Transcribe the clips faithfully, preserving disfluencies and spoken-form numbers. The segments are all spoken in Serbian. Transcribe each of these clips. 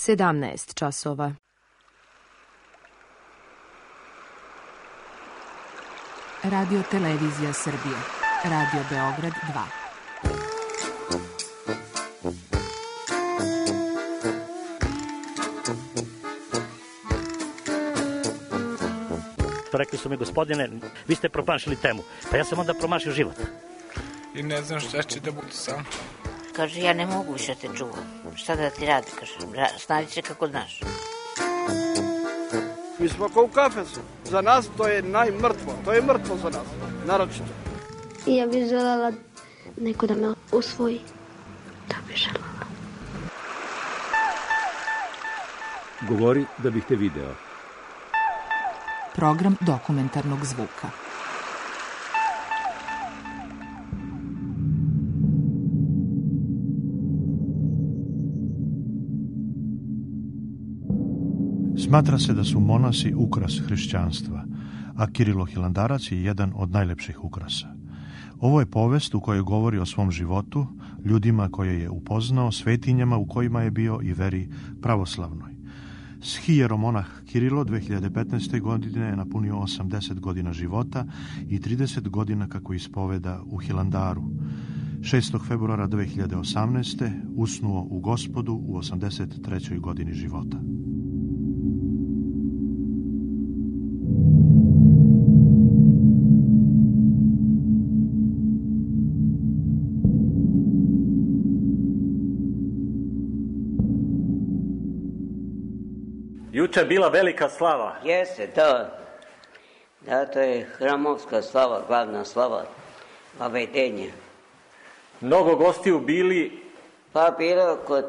sedamnaest časova. Radio Televizija Srbije. Radio Beograd dva. Rekli su mi, gospodine, vi ste promašili temu. Pa ja sam onda promašio život. I ne znam šta će da budu sam. Kaže, ja ne mogu više te čuvam. Šta da ti radi? Kaže, snađi se kako znaš. Mi smo kao u kafesu. Za nas to je najmrtvo. To je mrtvo za nas. Naročito. I ja bih želela neko da me usvoji. Da bih želela. Govori da bih te video. Program dokumentarnog zvuka. Smatra se da su monasi ukras hrišćanstva, a Kirilo Hilandarac je jedan od najlepših ukrasa. Ovo je povest u kojoj govori o svom životu, ljudima koje je upoznao, svetinjama u kojima je bio i veri pravoslavnoj. Shijeromonah Kirilo dve hiljade petnaeste. godine je napunio osamdeset godina života i trideset godina kako ispoveda u Hilandaru. šestog februara dve hiljade osamnaeste. usnuo u Gospodu u osamdeset trećoj godini života. Juče je bila velika slava. Jeste, da. Da, to je hramovska slava, glavna slava, vavedenje. Mnogo gostiju bili? Pa bilo kod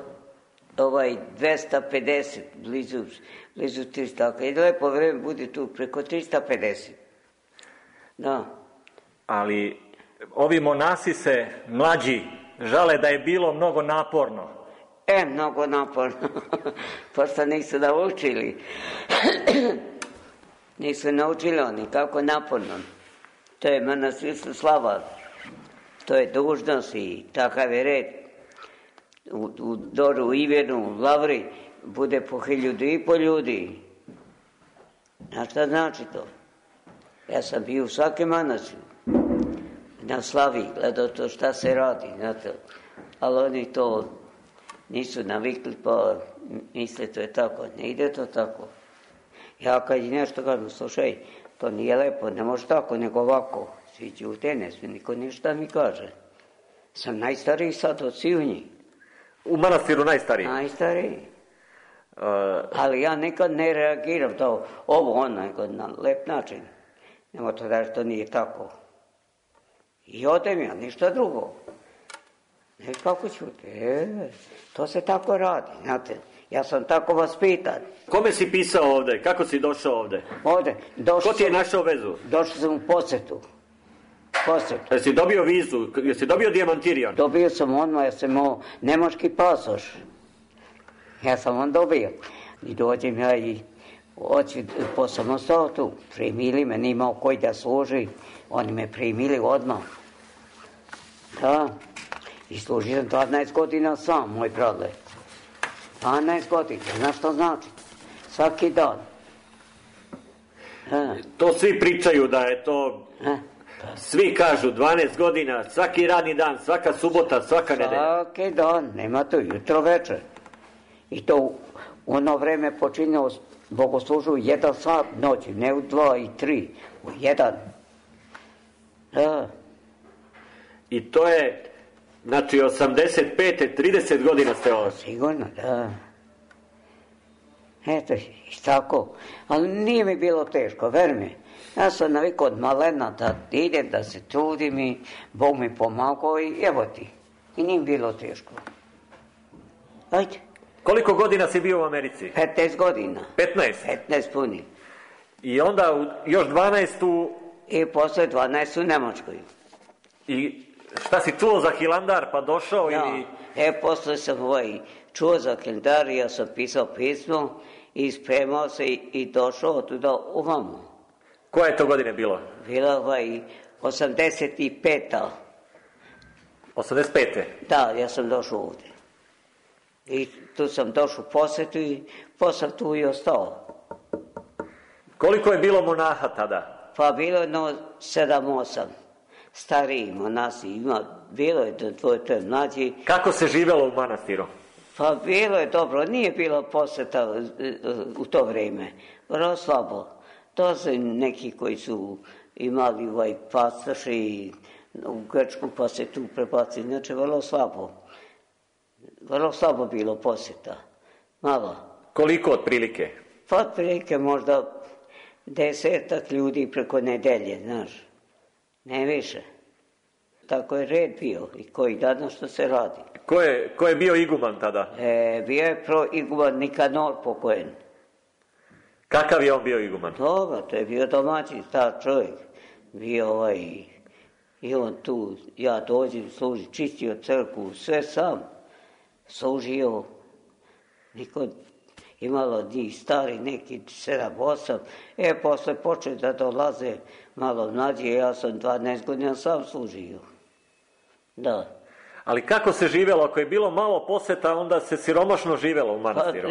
ovaj dvesta pedeset, blizu, blizu trista. I lepo vreme bude tu, preko trista pedeset. Da. Ali ovi monasi se, mlađi, žale da je bilo mnogo naporno. E, mnogo naporno, pošto nisu naučili. Nisu naučili oni kako naporno. To je manastirska slava, to je dužnost i takav je red. U, u Doru, u Ivenu, u Lavri bude po hiljadu i po ljudi. A šta znači to? Ja sam bio u svake manastir, na slavi, gledao to šta se radi, znate. Ali oni to nisu navikli, pa misle to je tako. Ne ide to tako. Ja kad je nešto kažem, slušaj, to nije lepo, ne može tako, nego ovako. Svi ćute, ne smije niko ništa mi kaže. Sam najstariji sad od svih njih. U manastiru najstariji? Najstariji. Uh... Ali ja nikad ne reagiram to, ovo ono, nego na lep način. Nemo to da to nije tako. I odem ja, ništa drugo. Ne kako ćute, e, to se tako radi, znate, ja sam tako vaspitan. Kome si pisao ovde, kako si došao ovde? Ovde, došao. Ko ti je našao vezu? Došao sam u posetu, posetu. Jesi dobio vizu, jesi dobio dijamantirion? Dobio sam odmah, ja sam imao nemački pasoš, ja sam on dobio. I dođem ja i oći po samostatu, primili me, nimao koji da služi, oni me primili odmah. Da. I služio sam dvanaest godina sam, moj brale. dvanaest godina, znaš što znači? Svaki dan. A. To svi pričaju da je to... A. Svi kažu dvanaest godina, svaki radni dan, svaka subota, svaka nedelja. Svaki dan, nema to jutro večer. I to u ono vreme počinjao bogoslužu u jedan sat noći, ne u dva i tri, u jedan. Da. I to je... Znači, osamdeset pete trideset godina ste ovo. Sigurno, da. Eto, i tako. Ali nije mi bilo teško, ver mi. Ja sam navikao od malena da idem, da se trudim i Bog mi pomagao i evo ti. I nije mi bilo teško. Ajde. Koliko godina si bio u Americi? petnaest godina. petnaest? petnaest puni. I onda u, još dvanaest u... I posle dvanaest u Nemačkoj. I... Šta si čuo za Hilandar pa došao ja, ili... E, posle sam ovaj, čuo za Hilandar i ja sam pisao pismo i spremao se i, i došao tuda ovamo. Koja je to godine bilo? Bila ovaj osamdeset peta. osamdeset pete? Da, ja sam došao ovdje. I tu sam došao u posetu i posam tu i ostao. Koliko je bilo monaha tada? Pa bilo je jedno sedam, osam. Stariji monasi ima, bilo je do dvoje, to je mlađi. Kako se živjelo u manastiru? Pa bilo je dobro, nije bilo poseta u to vrijeme, vrlo slabo. To su neki koji su imali ovaj pasoš i u Grčku pa se tu prebacili, znači vrlo slabo. Vrlo slabo bilo poseta, malo. Koliko otprilike? Pa otprilike možda desetak ljudi preko nedelje, znaš, ne više. Tako je red bio i koji danas što se radi. Ko je, ko je bio iguman tada? E, bio je pro iguman Nikanor pokojni. Kakav je on bio iguman? Dobro, to je bio domaći star čovjek. Bio ovaj, i on tu, ja dođem, služi, čistio crkvu, sve sam. Služio, niko, imalo njih stari, neki sedam, osam. E, posle počeo da dolaze malo mlađi, ja sam dvanaest godina sam služio. Da. Ali kako se živjelo? Ako je bilo malo poseta, onda se siromašno živjelo u manastiru.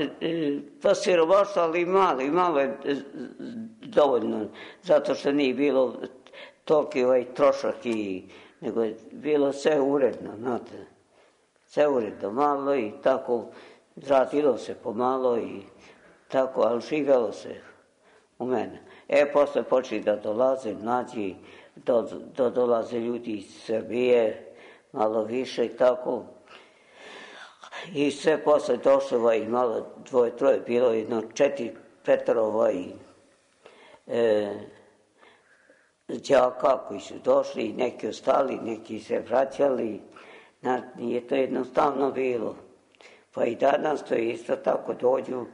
Pa, pa siromašno, ali malo, i malo je dovoljno, zato što nije bilo toliki ovaj trošak, i, nego je bilo sve uredno, znate. Sve uredno, malo i tako, radilo se pomalo i tako, ali živjelo se u mene. E, posle počeli da dolaze mlađi, do, do dolaze ljudi iz Srbije, malo više i tako. I sve posle došlo ovaj, malo dvoje, troje, bilo jedno četiri, petero ovaj, e, đaka koji su došli, neki ostali, neki se vraćali. Znači, nije to jednostavno bilo. Pa i danas to je isto tako, dođu,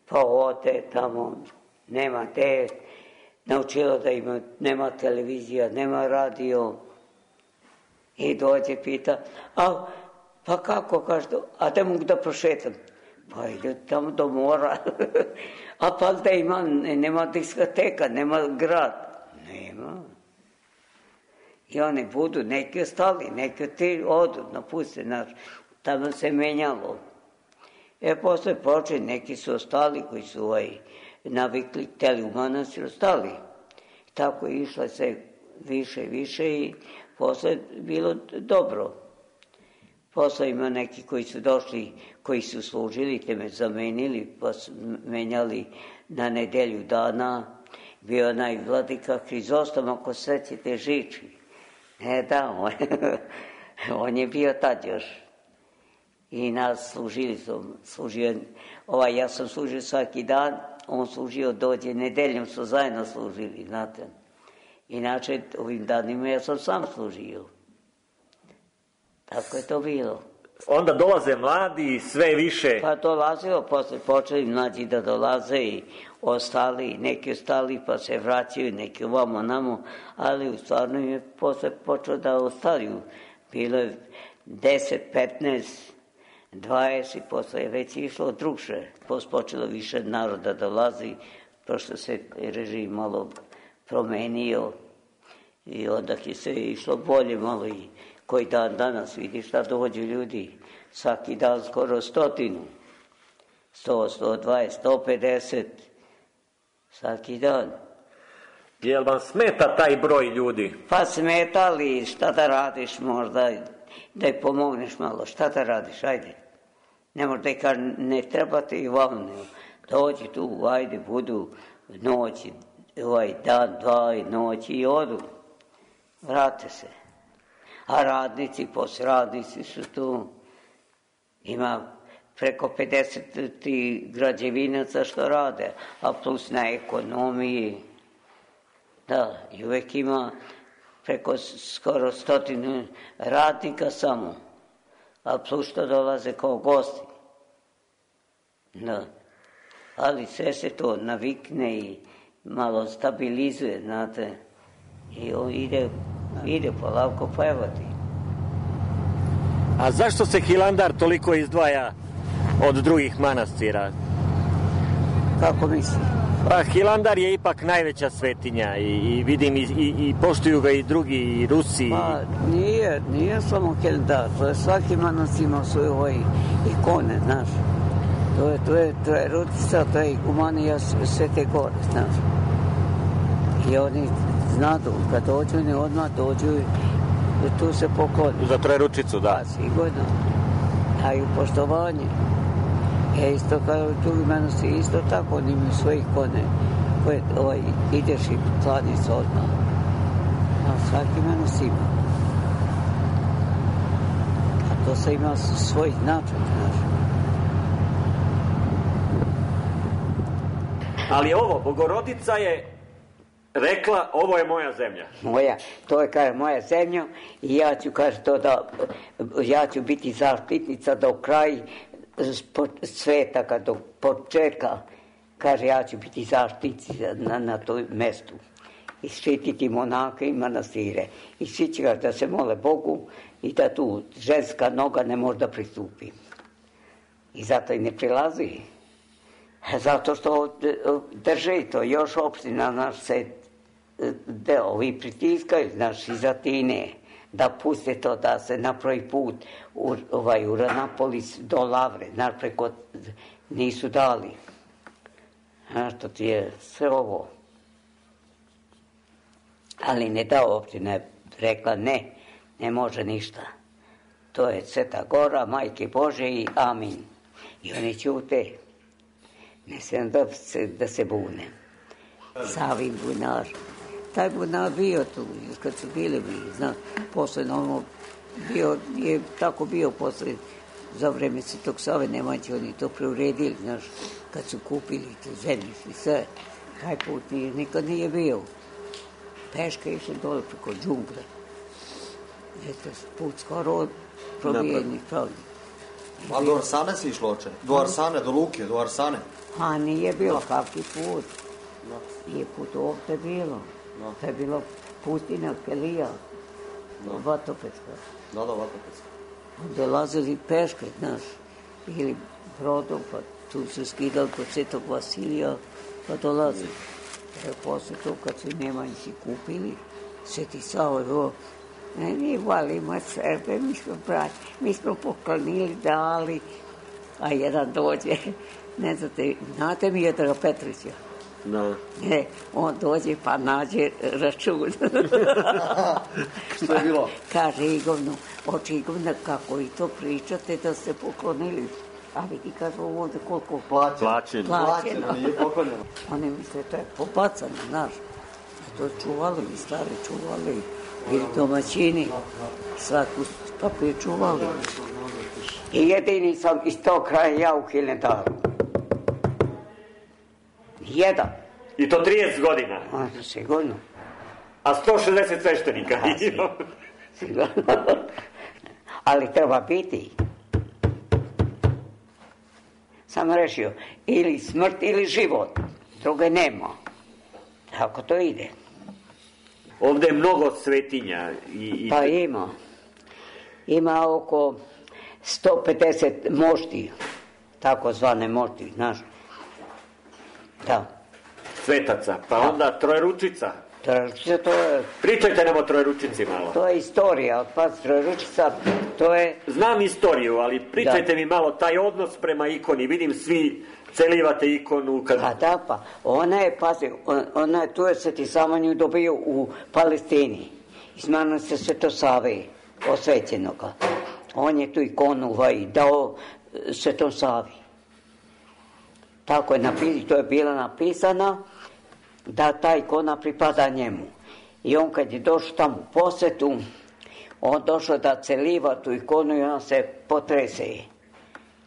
pa ode tamo, nema te, naučilo da ima, nema televizija, nema radio. I dođe, pita, a pa kako, kaže, a da mogu da prošetam? Pa ide tamo do mora. A pa da ima, nema diskoteka, nema grad. Nema. I oni budu, neki ostali, neki ti odu, napuste, znaš, tamo se menjalo. E, posle počeli, neki su ostali koji su ovaj, navikli, teli u manastir, ostali. Tako je išla se više i više i posle bilo dobro. Posle ima neki koji su došli, koji su služili, te me zamenili, pa su menjali na nedelju dana. Bio onaj vladika Hrizostom, ako sećate, Žiči. E da, on, on je bio tad još. I nas služili su, služio, ovaj, ja sam služio svaki dan, on služio dođe, nedeljom su zajedno služili, znate. Inače, ovim danima ja sam sam služio. Tako je to bilo. Onda dolaze mladi i sve više. Pa dolazilo, posle počeli mlađi da dolaze i ostali, neki ostali pa se vraćaju, neki ovamo namo, ali u stvarno je posle počeo da ostaju. Bilo je deset, petnaest, dvadeset, posle je već išlo drugše. Posle počelo više naroda dolazi, prošto se režim malo promenio i onda je se išlo bolje malo i koji dan danas vidi šta dođu ljudi. Svaki dan skoro stotinu. Sto, sto dvadeset, sto pedeset. Svaki dan. Jel vam smeta taj broj ljudi? Pa smeta, li šta da radiš možda, da je pomogneš malo. Šta da radiš, ajde. Ne možda i kad ne trebate i vam ne. Dođi tu, ajde, budu noći, ovaj dan, dva i noći i odu. Vrate se. A radnici, posradnici su tu. Ima preko pedeset građevinaca što rade, a plus na ekonomiji. Da, i uvek ima preko skoro stotinu radnika samo, a plus što dolaze kao gosti. Da, ali sve se to navikne i malo stabilizuje, znate, i on ide, ide polako pevati. A zašto se Hilandar toliko izdvaja od drugih manastira? Kako misli? Pa Hilandar je ipak najveća svetinja i, i vidim i, i, i poštuju ga i drugi i Rusi. Pa nije, nije samo Hilandar, to je svaki manastir ima svoje ove ikone, znaš. To je, to je, to je Rutica, to je igumanija Svete Gore, znaš. I oni znadu, kad dođu, ne odmah dođu i tu se pokloni. Za Trojeručicu, da. Pa sigurno. Daju poštovanje. E, isto kao drugi manastir, isto tako, oni imaju svoje ikone koje ovaj, ideš i klaniš se odmah. A svaki manastir ima. A to se ima svoj značaj, znaš. Ali ovo, Bogorodica je rekla, ovo je moja zemlja. Moja, to je, kaže, moja zemlja i ja ću, kaže, to da, ja ću biti zaštitnica do kraja sveta, kad do početka, kaže, ja ću biti zaštitnica na, na toj mestu i štititi monake i manastire. I svi će, kaže, da se mole Bogu i da tu ženska noga ne može da pristupi. I zato i ne prilazi. Zato što drži to još opština naš se deo i pritiskaju, znaš, iz Atine, da puste to, da se napravi put u, ovaj, u Ranapolis do Lavre, znaš, preko nisu dali. Znaš, to ti je sve ovo. Ali ne da opština je rekla ne, ne može ništa. To je Sveta Gora, Majke Bože i amin. I oni ćute. Ne smijem da se, da se bune. Savin bunar. Taj bunar bio tu, kad su bili, zna, posle normalno bio, je tako bio posle, za vreme Svetog Save Nemanjića, oni to preuredili, znaš, kad su kupili tu zemljište, sve. Taj put nije, nikad nije bio. Peška išla dole preko džungle. Eto, put skoro probijenih pravdi. A do Arsane si išlo oče? Do Arsane, do Luke, do Arsane? A nije bilo kakvi put. Nije put ovdje bilo. To je bilo pustina Kelija. Vatopetska. Da, da, Vatopetska. Dolazili peške, znaš, ili brodom, pa tu su skidali kod Svetog Vasilija, pa dolazili. E, posle to, kad su Nemanjići kupili, Sveti Sava, evo, ne, mi volimo Srbe, mi smo brati, mi smo poklonili, dali, a jedan dođe, ne znate, znate mi Miodraga Petrića? No. Ne, on dođe pa nađe račun. Što je bilo? Kaže Igovno, oči Igovna, kako i to pričate da ste poklonili. A vidi, kaže ovdje koliko plaćeno. Plaćeno. Plaćeno, nije poklonjeno. Oni misle, to je pobacano, znaš. To čuvali, stari čuvali, ili domaćini, svaku papir čuvali. I jedini sam iz tog kraja ja u Hilandaru. Jedan. I to trideset godina? A, sigurno. A sto šezdeset sveštenika? A, sigurno. sigurno. Ali treba biti. Sam rešio, ili smrt ili život. Druge nema. Tako to ide. Ovdje je mnogo svetinja. I, i... Pa ima. Ima oko sto pedeset mošti, tako zvane mošti, znaš. Da. Svetaca, pa da. Onda Trojeručica. Trojeručica, to je... Pričajte nam o Trojeručici malo. To je istorija, pa Trojeručica, to je... Znam istoriju, ali pričajte da. mi malo taj odnos prema ikoni. Vidim, svi celivate ikonu. Kad... Pa da, pa. Ona je, pazi, ona je, tu je Sveti Sava nju dobio u Palestini. Izmano se Sveto Save, osvećenoga. On je tu ikonu ovaj, dao Svetom Savi. Tako je napisano, to je bila napisana da ta ikona pripada njemu. I on kad je došao tamo u posjetu, on došao da celiva tu ikonu i ona se potrese.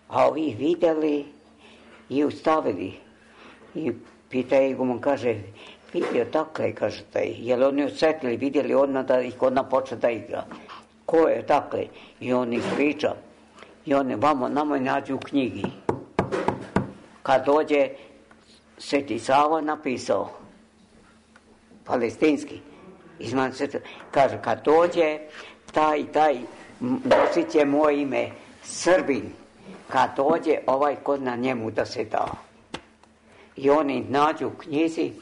A ovi vidjeli i ustavili. I pita iguman, kaže, vidio dakle, kaže taj, jer oni osjetili, vidjeli odmah da ikona počne da igra. Ko je dakle? I on ih priča. I oni vamo, nama je nađu u knjigi. Kad dođe, Sveti Sava napisao, palestinski, izman se, kaže, kad dođe, taj, taj, nosit će moje ime, Srbin, kad dođe, ovaj kod na njemu da se da. I oni nađu u knjizi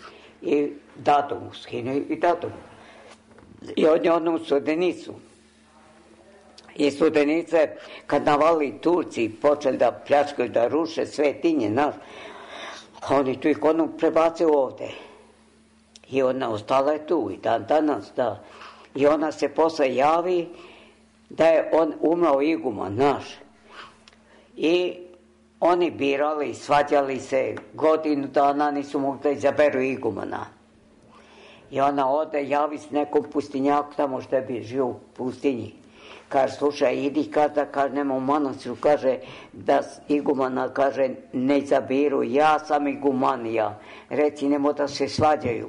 i dadu mu, skinu i dadu mu. I on je onu Studenicu. I Studenice, kad navali Turci, počeli da pljačkaju, da ruše svetinje, naš, oni tu ikonu prebacuju ovde. I ona ostala je tu i dan danas, da. I ona se posle javi da je on umrao iguman, naš. I oni birali, svađali se, godinu dana nisu mogli da izaberu igumana. I ona ode, javi se nekom pustinjaku tamo što bi žio u pustinji. Kaže, slušaj, idi kada, kaže, nema u manastiru, kaže, da igumana, kaže, ne izabiru, ja sam igumanija, reci, nemo da se svađaju.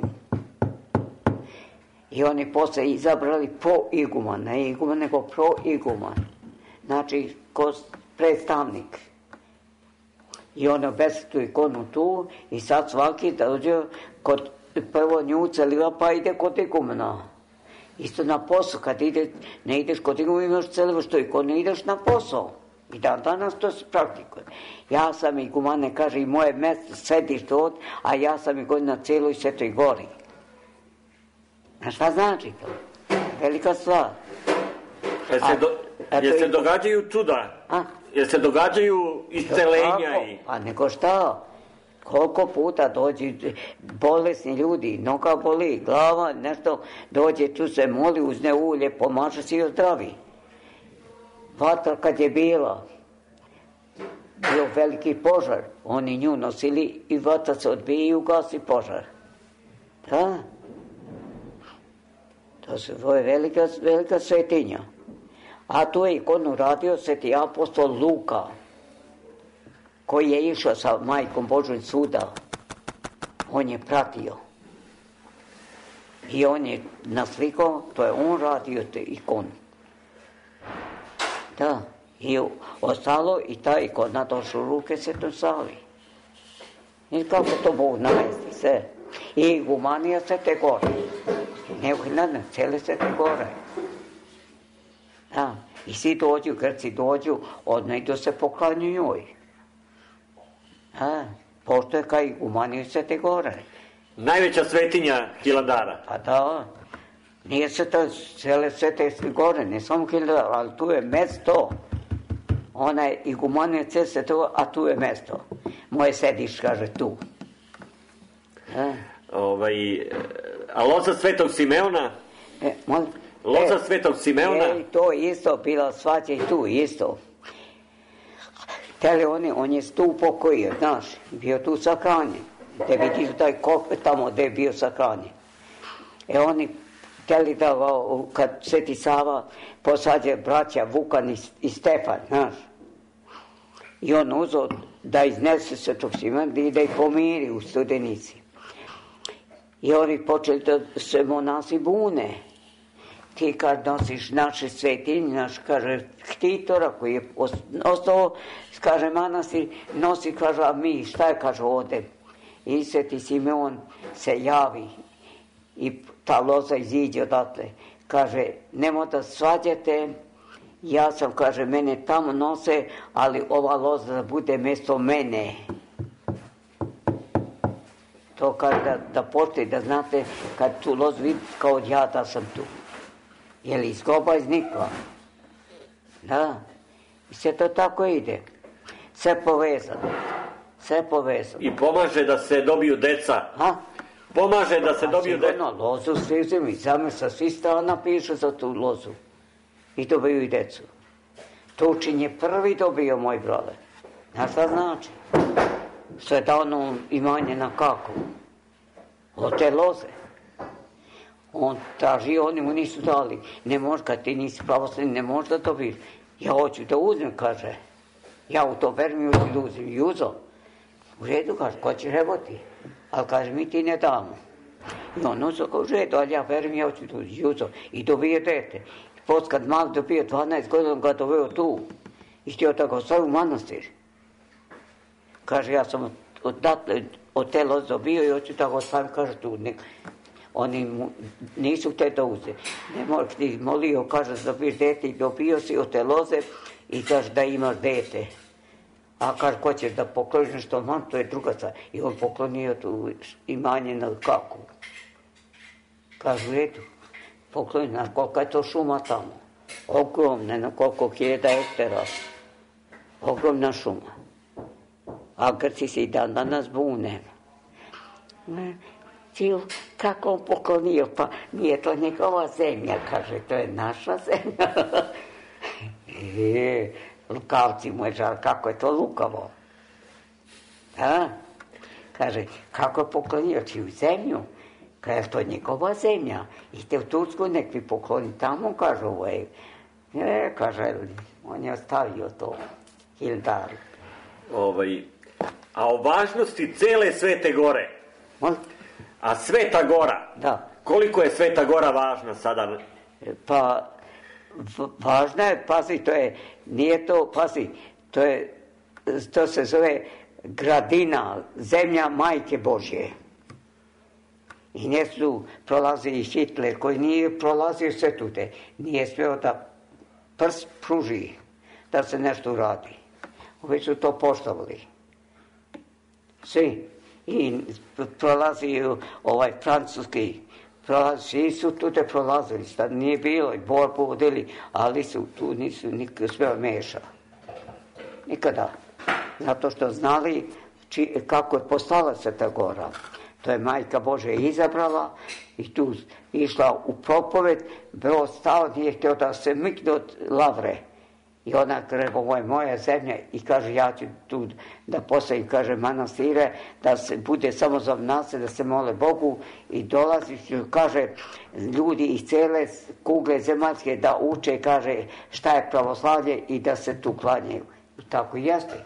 I oni posle izabrali po iguman, ne iguman, nego pro iguman. Znači, ko predstavnik. I on obesi tu ikonu tu i sad svaki dođe kod prvo nju celiva pa ide kod igumana. Isto na posao, kad ide, ne ideš kod igumana imaš celiva što ikonu, ideš na posao. I dan danas to se praktikuje. Ja sam igumane, kaže, i moje mesto sediš tu, a ja sam iguman na cijeloj Svetoj gori. A šta znači to? Velika stvar. Jer se, do, jer se događaju čuda? A? Jer se događaju iscelenja i... A nego šta? Koliko puta dođe bolesni ljudi, noga boli, glava, nešto, dođe tu se moli, uzne ulje, pomaže se i ozdravi. Vatra kad je bila, bio veliki požar, oni nju nosili i vatra se odbije i ugasi požar. Da? To se je velika, velika svetinja. A tu je ikonu radio sveti apostol Luka, koji je išao sa majkom Božjom svuda. On je pratio. I on je naslikao, to je on radio te ikonu. Da, i ostalo i ta ikona došla u ruke Svetom Savi. I kako to Bog namesti sve. I igumanija Svete Gore. Ne uhljadne, cijele Svete Gore. Da, i svi dođu, Grci dođu, odnajdu se poklanju njoj. Da, pošto je kao igumaniju Svete Gore. Najveća svetinja Hilandara. Pa da, nije se to cijele Svete Gore, ne samo Hilandara, ali tu je mesto. Ona je igumanija cijele Svete Gore, a tu je mesto. Moje sediš, kaže, tu. Da. Ovaj, a loza Svetog Simeona? E, molim? Loza e, Svetog Simeona? E, to isto bila svađa i tu isto. Tele oni, on je tu upokojio, znaš, bio tu sahranjen. Gde vidiš taj kope tamo gde je bio sahranjen. E oni teli da, kad Sveti Sava posađe braća Vukan i, i Stefan, znaš. I on uzeo da iznese Svetog Simeona i da ih pomiri u Studenici. I oni počeli da se monasi bune. Ti kad nosiš naše svetinje, naš, kaže, štitora koji je ostao, kaže, manastir, nosi, kaže, a mi, šta je, kaže, ovde? I Sveti Simeon se javi i ta loza iziđe odatle. Kaže, nemoj da svađate, ja sam, kaže, mene tamo nose, ali ova loza da bude mesto mene. To kaže da, da postoji, da znate, kad tu lozu vidite, kao ja da sam tu. Je li izgoba iznikla? Da. I sve to tako ide. Sve povezano. Sve povezano. I pomaže da se dobiju deca. A? Pomaže da se A dobiju deca. sigurno, lozu svi uzemi. Zame sa svi strana piše za tu lozu. I dobiju i decu. Tučin je prvi dobio, moj brale. Znaš šta znači? Što je dano imanje na kako? Od te loze. On traži, oni mu nisu dali. Ne može, kad ti nisi pravoslavni, ne možeš da dobiješ. Ja hoću da uzmem, kaže. Ja u to verujem i hoću da uzmem. I uzo. U redu, kaže, ko će reboti? Ali kaže, mi ti ne damo. I on uzo, kao u redu, ali ja verujem, ja hoću da uzmem. I uzo. I dobije dete. I post kad mal dobio dvanaest godina, on ga doveo tu. I htio da ga ostavi u manastir. Kaže, ja sam odatle, od te loze dobio i hoću da ga ostavi, kaže, tu. Ne. Oni mu nisu te da uze. Ne možeš ti molio, kaže, da dobiješ dete i dobio si od te loze i kaže da imaš dete. A kaže, ko ćeš da pokloniš nešto, mam, to je druga stvar. I on poklonio tu imanje na kaku. Kažu, eto, poklonio, znaš kolika je to šuma tamo. Ogromna, na koliko hiljada hektara. Ogromna šuma. A Grci se i dan danas bune. Čil, kako on poklonio, pa nije to njegova zemlja, kaže, to je naša zemlja. E, lukavci mu je žal, kako je to lukavo. A? Kaže, kako je poklonio, čiju zemlju? Kaže, to je njegova zemlja. Idite u Tursku, nek vi pokloni tamo, kaže, ovo je. E, kaže, on je ostavio to, Hildar. Ovaj, a o važnosti cele Svete Gore. On? A Sveta Gora, da. Koliko je Sveta Gora važna sada? Pa, važna je, pazi, to je, nije to, pazi, to je, to se zove gradina, zemlja Majke Božje. I nje su prolazili Hitler, koji nije prolazio sve tude, nije smeo da prst pruži, da se nešto uradi. Ovi su to poštovali. Svi. I prolazi ovaj francuski, prolazi, svi su tude prolazili, sad nije bilo i borbu vodili, ali su tu nisu nikada sve meša. Nikada. Zato što znali či, kako je postala Sveta Gora. To je Majka Božja izabrala i tu išla u propoved, bilo stao, nije htio da se mikne od lavre. I ona kaže, ovo je moja zemlja i kaže, ja ću tu da postavim, kaže, manastire, da se bude samo za nas, da se mole Bogu i dolazi, kaže, ljudi iz cele kugle zemaljske da uče, kaže, šta je pravoslavlje i da se tu klanjaju. I tako i jeste.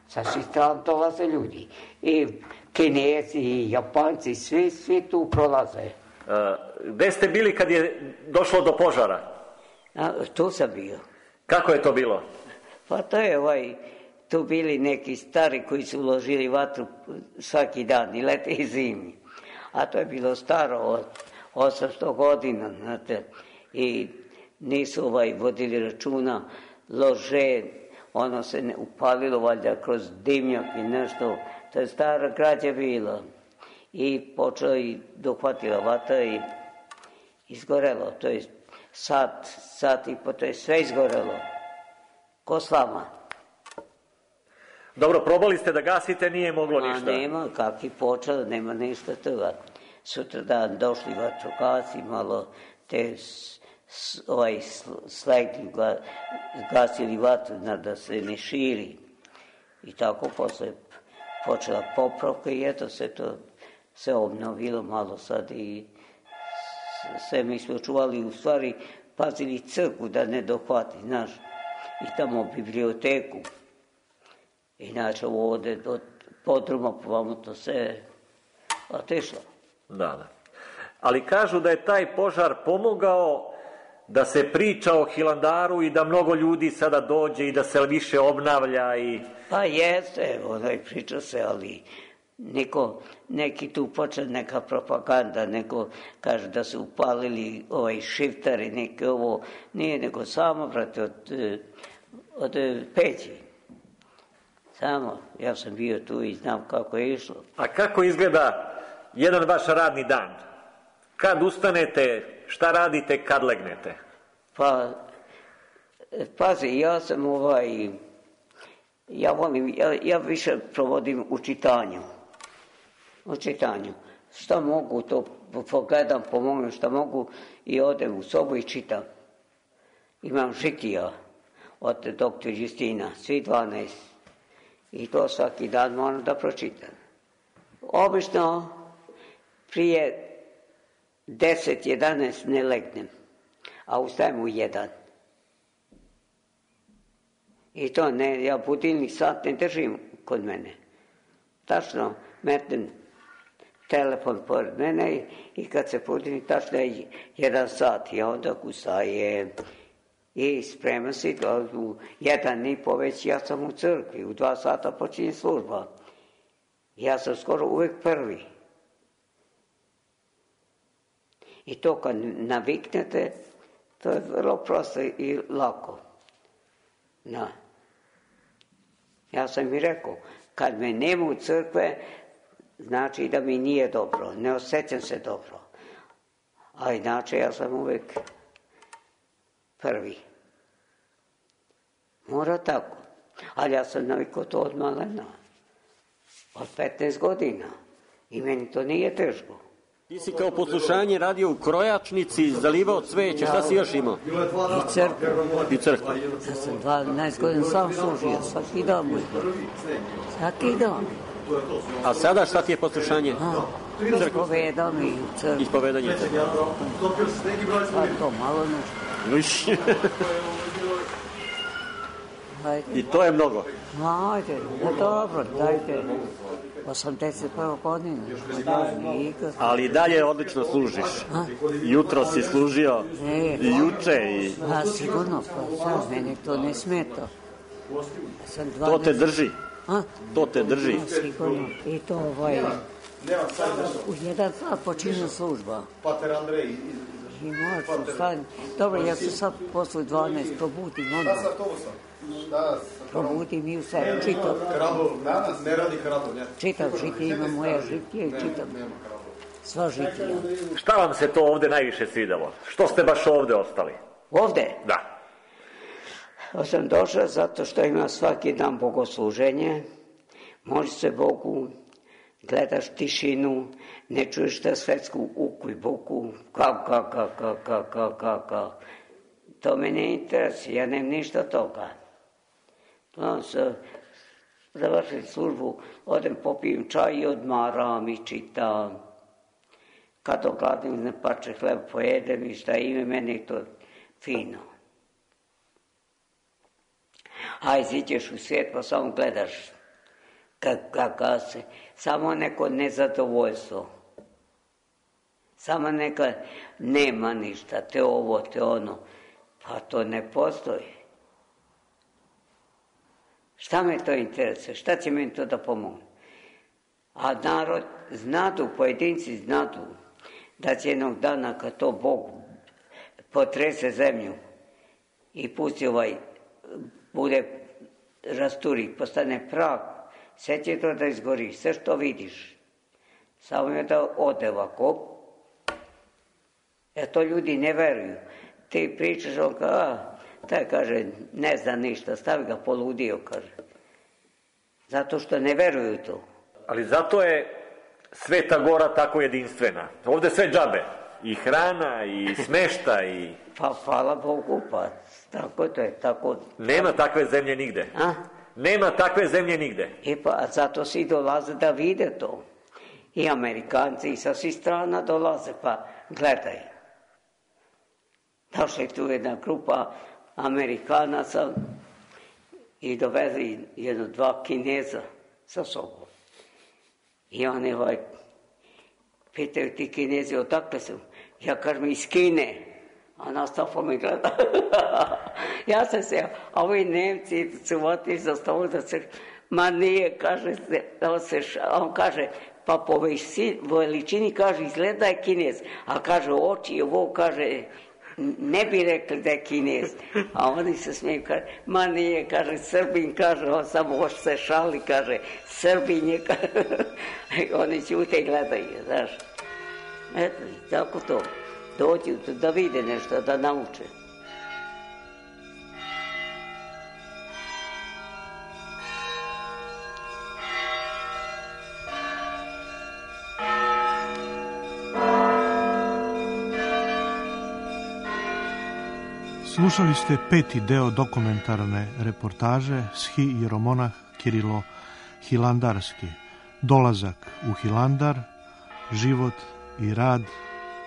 Sa svih strana dolaze ljudi. I Kinezi, i Japanci, svi, svi tu prolaze. A, gde ste bili kad je došlo do požara? A, tu sam bio. Kako je to bilo? Pa to je ovaj, tu bili neki stari koji su uložili vatru svaki dan, i lete i zimi. A to je bilo staro od osamsto godina, znate, i nisu ovaj vodili računa, lože, ono se ne upalilo valjda kroz dimnjak i nešto, to je stara građa bila. I počela i dohvatila vatra i izgorelo, to je sat, sat i po, to je sve izgorelo. Ko slama. Dobro, probali ste da gasite, nije moglo A ništa. nema, kak je počelo, nema ništa toga. Sutra dan došli vatrogasci, malo te s, s, ovaj slegli, gasili vatru da se ne širi. I tako posle počela popravka i eto se to se obnovilo malo sad i sve mi smo čuvali, u stvari pazili crkvu da ne dohvati, znaš, i tamo biblioteku. Inače ovdje do podruma povamo to se otišlo. Da, da. Ali kažu da je taj požar pomogao da se priča o Hilandaru i da mnogo ljudi sada dođe i da se više obnavlja i... Pa jeste, onaj priča se, ali neko, neki tu počne neka propaganda, neko kaže da su upalili ovaj šiftari, neke ovo, nije nego samo, brate, od, od peći. Samo, ja sam bio tu i znam kako je išlo. A kako izgleda jedan vaš radni dan? Kad ustanete, šta radite, kad legnete? Pa, pazi, ja sam ovaj, ja volim, ja, ja više provodim u čitanju. U čitanju. Šta mogu, to pogledam, pomognem šta mogu i odem u sobu i čitam. Imam žitija od doktor Justina, svi dvanaest. I to svaki dan moram da pročitam. Obično prije deset jedanaest ne legnem, a ustajem u jedan. I to ne, ja budilnik sat ne držim kod mene. Tačno metnem telefon pored mene i kad se budilnim tačno je jedan sat i onda ustajem i spremam se u jedan i po već ja sam u crkvi, u dva sata počinje služba. Ja sam skoro uvijek prvi. I to kad naviknete, to je vrlo prosto i lako. Na. Ja sam i rekao, kad me nema u crkve, znači da mi nije dobro, ne osjećam se dobro. A inače ja sam uvijek prvi. Mora tako. Ali ja sam navikao to od malena. Od petnaest godina. I meni to nije teško. Ti si kao poslušanje radio u krojačnici, zalivao cveće, šta si još imao? I crkvu. I crkvu. Ja sam dvanaest godina sam služio, svaki dan. Svaki dan. A sada šta ti je poslušanje? Ispovedam i u crkvu. Ispovedanje u crkvu. Pa to malo nešto. I to je mnogo. Ajde, no dobro, dajte. osamdeset prva godina. Ali i dalje odlično služiš. A? Jutro si služio e, i juče. I... A sigurno, pa sad mene to ne smeta. To te drži. A? To te drži. A, sigurno. I to ovaj... U jedan sat počinje služba. Pater Andrej. I moću stavim. Dobro, ja se sad posle dvanaest probudim onda. Probudim i u sedam, čitam. Krabov, ne radi krabov, ne. Čitam žitije, ima moja žitije i čitam. Sva žitija. Šta vam se to ovde najviše svidalo? Što ste baš ovde ostali? Ovde? Da. Ja sam došao zato što ima svaki dan bogosluženje. Može se Bogu, gledaš tišinu, ne čuješ ta svetsku uku i buku, kao, kao, kao, kao, kao, kao, kao, kao. To me ne interesuje, ja nemam ništa toga. Onda se završim službu, odem popijem čaj i odmaram i čitam. Kad ogladim, ne pače hleb pojedem i šta ime, meni to fino. A iziđeš u svijet pa samo gledaš kako se, samo neko nezadovoljstvo. Samo neka nema ništa, te ovo, te ono. Pa to ne postoji. Šta me to interesuje? Šta će meni to da pomogne? A narod znadu, pojedinci znadu da će jednog dana kad to Bog potrese zemlju i pusti ovaj, bude rasturi, postane prah, sve će to da izgori, sve što vidiš. Samo je da ode ovako. E to ljudi ne veruju. Ti pričaš, on kao, a, taj kaže, ne zna ništa, stavi ga poludio, kaže. Zato što ne veruju to. Ali zato je Sveta Gora tako jedinstvena. Ovde sve džabe. I hrana, i smešta, i... Pa hvala Bogu, pa tako to je, tako... Nema takve zemlje nigde. A? Nema takve zemlje nigde. E pa, zato svi dolaze da vide to. I Amerikanci i sa svih strana dolaze, pa gledaj. Došla je tu jedna grupa Amerikanaca i dovezli jedno dva Kineza sa sobom. I oni ovaj, pitaju ti Kinezi odakle su. Ja kažem iz Kine. A Nastafa me gleda. Ja sam se, a ovi Nemci su otišli za stolu da se, ma nije, kaže se, on, se, on kaže, pa po veličini, kaže, izgleda je Kinez. A kaže, oči, ovo, kaže, ne bi rekli da je Kinez. A oni se smiju, kaže, ma nije, kaže, Srbin, kaže, on samo hoće se šali, kaže, Srbin je, kaže, oni ćute i gledaju, znaš. Eto, tako to. Dođu da vide nešto, da nauče. Slušali ste peti deo dokumentarne reportaže Schi Jeromonah Kirilo Hilandarski. Dolazak u Hilandar, život i rad,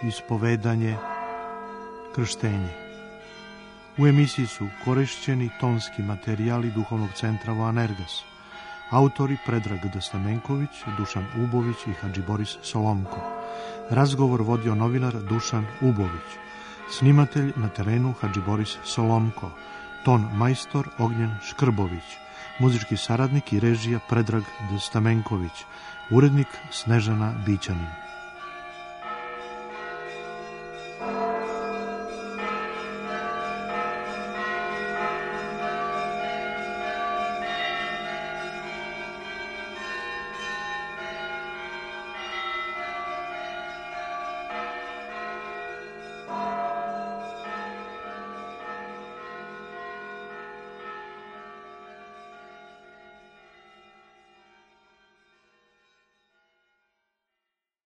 ispovedanje, krštenje. U emisiji su korišćeni tonski materijali Duhovnog centra Voanerges. Autori Predrag Stamenković, Dušan Ubović i Hadži Boris Solomko. Razgovor vodio novinar Dušan Ubović. Snimatelj na terenu Hadži Boris Solomko. Ton majstor Ognjen Škrbović. Muzički saradnik i režija Predrag Stamenković. Urednik Snežana Bićanin.